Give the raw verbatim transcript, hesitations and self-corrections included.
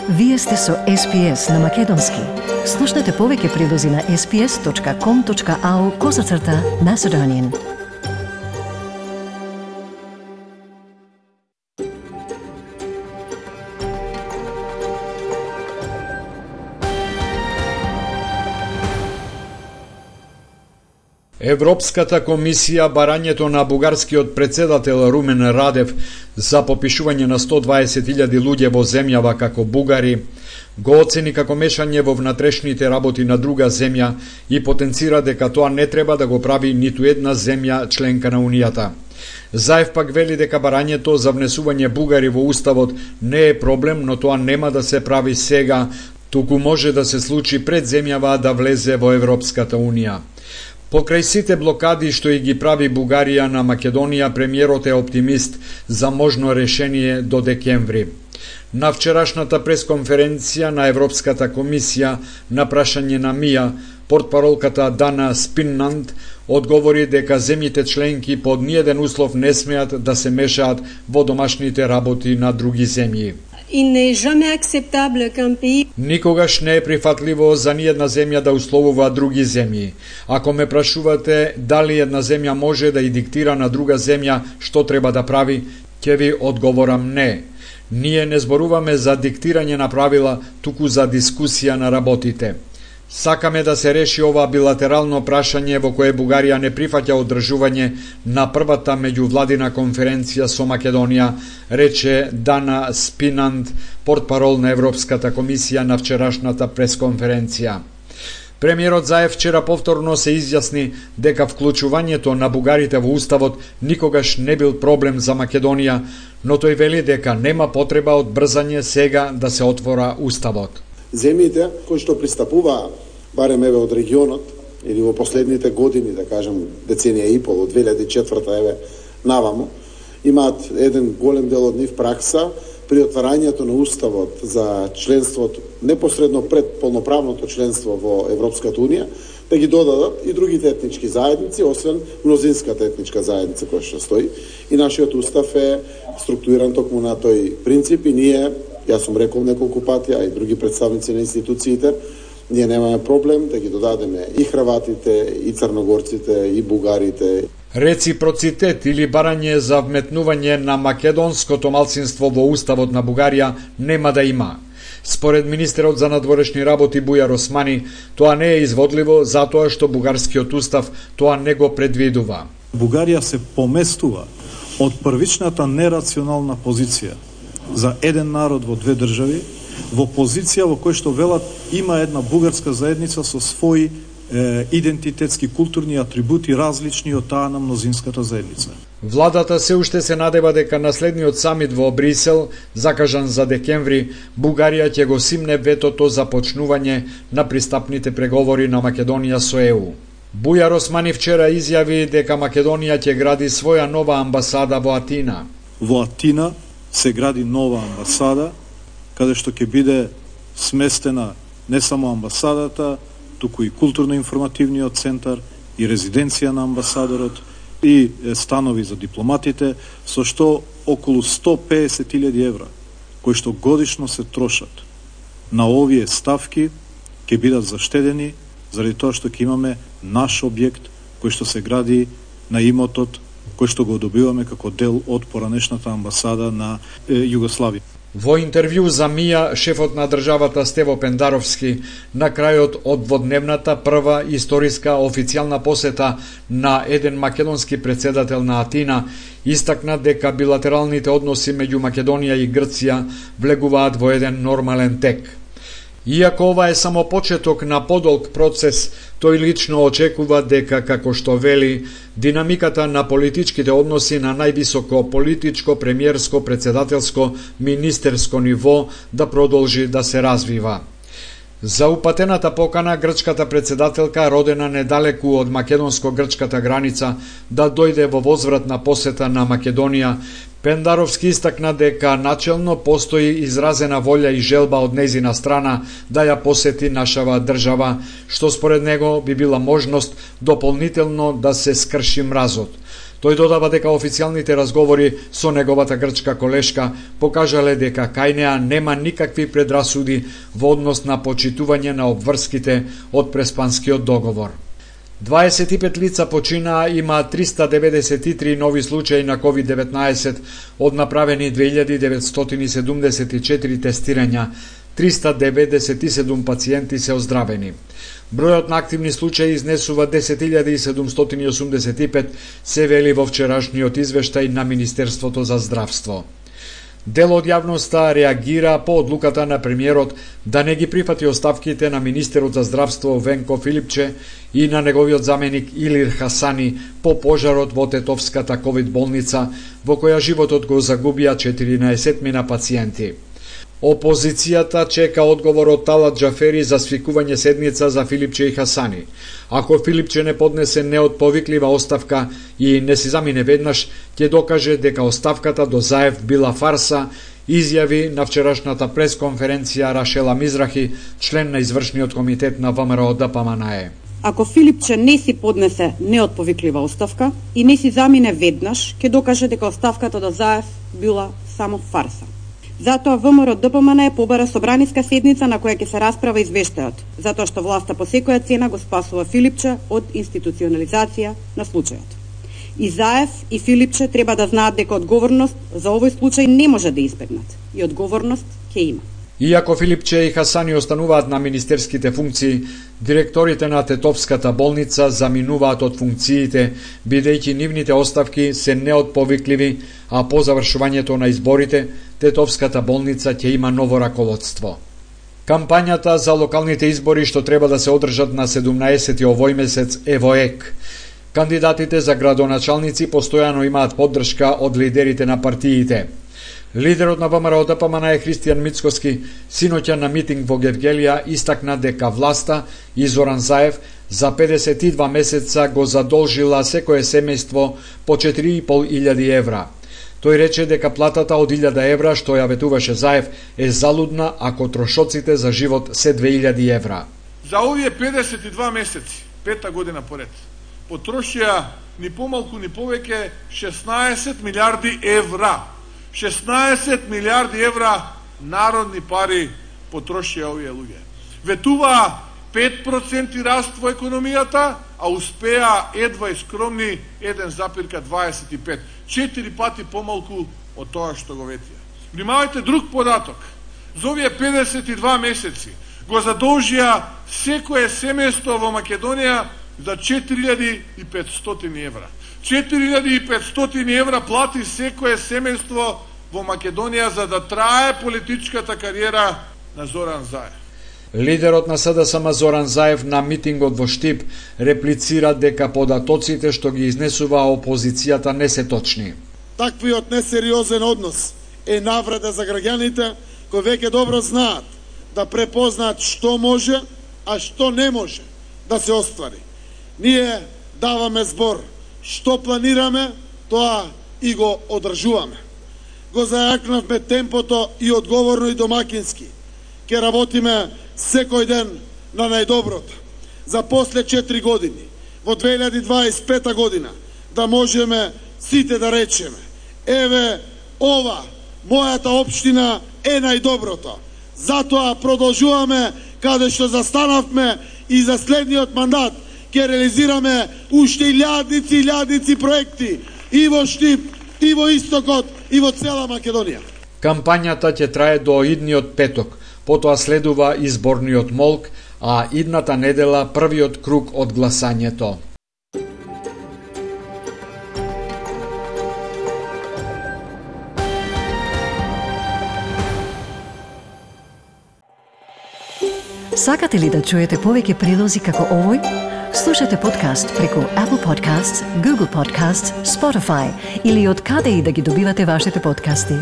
Вие сте со Ес Пи Ес на Македонски. Слушнете повеќе прилози на ес пи ес точка ком точка ау козацрта Macedonian. Европската комисија барањето на бугарскиот председател Румен Радев за попишување на сто дваесет илјади луѓе во земјава како бугари го оцени како мешање во внатрешните работи на друга земја и потенцира дека тоа не треба да го прави ниту една земја членка на Унијата. Заев пак вели дека барањето за внесување бугари во уставот не е проблем, но тоа нема да се прави сега, туку може да се случи пред земјава да влезе во Европската Унија. Покрај сите блокади што и ги прави Бугарија на Македонија, премиерот е оптимист за можно решение до декември. На вчерашната пресконференција на Европската комисија на прашање на Мија, портпаролката Дана Спиннанд одговори дека земјите членки под ниеден услов не смеат да се мешаат во домашните работи на други земји. Никогаш не е прифатливо за ниедна земја да условува други земји. Ако ме прашувате дали една земја може да и диктира на друга земја што треба да прави, ќе ви одговорам не. Ние не зборуваме за диктирање на правила, туку за дискусија на работите. Сакаме да се реши ова билатерално прашање во кое Бугарија не прифаќа одржување на првата меѓувладина конференција со Македонија, рече Дана Спинанд, портпарол на Европската комисија на вчерашната пресконференција. Премиерот Заев вчера повторно се изјасни дека вклучувањето на бугарите во уставот никогаш не бил проблем за Македонија, но тој вели дека нема потреба од брзање сега да се отвора уставот. Земјите кои што пристапуваа, барем еве од регионот, или во последните години, да кажем деценија и пол, од две илјади и четврта еве навамо, имаат еден голем дел од нив пракса при отварањето на уставот за членството, непосредно пред полноправното членство во Европската Унија, да ги додадат и другите етнички заедници, освен мнозинската етничка заедница која што стои. И нашиот устав е структуриран токму на тој принцип и ние, јас сум рекол неколку пати, а и други представници на институциите, ние немаме проблем да ги додадеме и хрватите, и црногорците, и бугарите. Реципроцитет или барање за вметнување на македонското малцинство во уставот на Бугарија нема да има. Според министерот за надворешни работи Бујар Османи, тоа не е изводливо затоа што бугарскиот устав тоа не го предвидува. Бугарија се поместува од првичната нерационална позиција за еден народ во две држави, во позиција во која што велат има една бугарска заедница со своји е, идентитетски културни атрибути различни од таа на мнозинската заедница. Владата се уште се надева дека наследниот самит во Брисел, закажан за декември, Бугарија ќе го симне ветото за почнување на пристапните преговори на Македонија со Е У. Бујар Османи вчера изјави дека Македонија ќе гради своја нова амбасада во Атина. Во Атина се гради нова амбасада, каде што ќе биде сместена не само амбасадата, туку и културно-информативниот центар, и резиденција на амбасадорот, и станови за дипломатите, со што околу сто песет илјади евра, кои што годишно се трошат на овие ставки, ќе бидат заштедени, заради тоа што ќе имаме наш објект, кој што се гради на имотот, кој што го добиваме како дел од поранешната амбасада на е, Југославија. Во интервју за Мија, шефот на државата Стево Пендаровски, на крајот од дводневната прва историска официјална посета на еден македонски председател на Атина, истакна дека билатералните односи меѓу Македонија и Грција влегуваат во еден нормален тек. Иако ова е само почеток на подолг процес, тој лично очекува дека, како што вели, динамиката на политичките односи на највисоко политичко, премиерско, председателско, министерско ниво да продолжи да се развива. За упатената покана грчката председателка, родена недалеку од македонско-грчката граница, да дојде во возвратна посета на Македонија, Пендаровски истакна дека начелно постои изразена волја и желба од нејзина страна да ја посети нашава држава, што според него би била можност дополнително да се скрши мразот. Тој додава дека официјалните разговори со неговата грчка колешка покажале дека кај неа нема никакви предрасуди во однос на почитување на обврските од Преспанскиот договор. дваесет и пет лица починаа, има триста деветдесет и три нови случаи на ковид деветнаесет од направени две илјади деветстотини седумдесет и четири тестирања, триста деветдесет и седум пациенти се оздравени. Бројот на активни случаи изнесува десет илјади седумстотини осумдесет и пет, се вели во вчерашниот извештај на Министерството за здравство. Дел од јавноста реагира по одлуката на премиерот да не ги прифати оставките на министерот за здравство Венко Филипче и на неговиот заменик Илир Хасани по пожарот во Тетовската ковид болница, во која животот го загубија четиринаесет мина пациенти. Опозицијата чека одговор од Талат Џафери за свикување седница за Филипче и Хасани. Ако Филипче не поднесе неотповиклива оставка и не си замине веднаш, ќе докаже дека оставката до Заев била фарса, изјави на вчерашната пресконференција Рашела Мизрахи, член на извршниот комитет на ВМРО Д П М Н Е. Ако Филипче не си поднесе неотповиклива оставка и не си замине веднаш, ќе докаже дека оставката до Заев била само фарса. Затоа ВМРО Д П М Н Е побара собраниска седница на која ќе се расправа извештајот, затоа што власта по секоја цена го спасува Филипче од институционализација на случајот. И Заев и Филипче треба да знаат дека одговорност за овој случај не може да избегнат и одговорност ќе има. Иако Филипче и Хасани остануваат на министерските функции, директорите на Тетовската болница заминуваат од функциите, бидејќи нивните оставки се неотповикливи, а по завршувањето на изборите, Тетовската болница ќе има ново раководство. Кампањата за локалните избори што треба да се одржат на седумнаесети овој месец е во ек. Кандидатите за градоначалници постојано имаат поддршка од лидерите на партиите. Лидерот на ВМРО Д П М Н Е Христијан Мицкоски синоќа на митинг во Гевгелија истакна дека власта и Зоран Заев за педесет и два месеца го задолжила секое семејство по четири и пол илјади евра. Тој рече дека платата од илјада евра што ја ветуваше Заев е залудна ако трошоците за живот се две илјади евра. За овие педесет и два месеци, пета година поред, потрошија ни помалку ни повеќе шеснаесет милиарди евра. шеснаесет милиарди евра народни пари потрошија овие луѓе. Ветуваа пет проценти раст во економијата, а успеа едва и скромни еден запир дваесет и пет. Четири пати помалку од тоа што го ветија. Внимавајте друг податок. За овие педесет и два месеци го задолжија секое семејство во Македонија за четири илјади и петстотини евра. четири илјади и петстотини евра плати секое семејство во Македонија за да трае политичката кариера на Зоран Заев. Лидерот на С Д С М Зоран Заев на митингот во Штип реплицира дека податоците што ги изнесува опозицијата не се точни. Таквиот несериозен однос е навреда за граѓаните кои веќе добро знаат да препознаат што може, а што не може да се оствари. Ние даваме збор што планираме, тоа и го одржуваме. Го зајакнавме темпото и одговорно и домакински. Ке работиме секој ден на најдоброто. За после четири години, во две илјади дваесет и пета година, да можеме сите да речеме: еве, ова, мојата општина е најдоброто. Затоа продолжуваме каде што застанавме и за следниот мандат ќе реализираме уште илјадници, илјадници проекти и во Штип, и во Истокот, и во цела Македонија. Кампањата ќе трае до идниот петок, потоа следува изборниот молк, а идната недела првиот круг од гласањето. Сакате ли да чуете повеќе прилози како овој? Слушате подкаст преку Apple Podcasts, Google Podcasts, Spotify или од каде и да ги добивате вашите подкасти.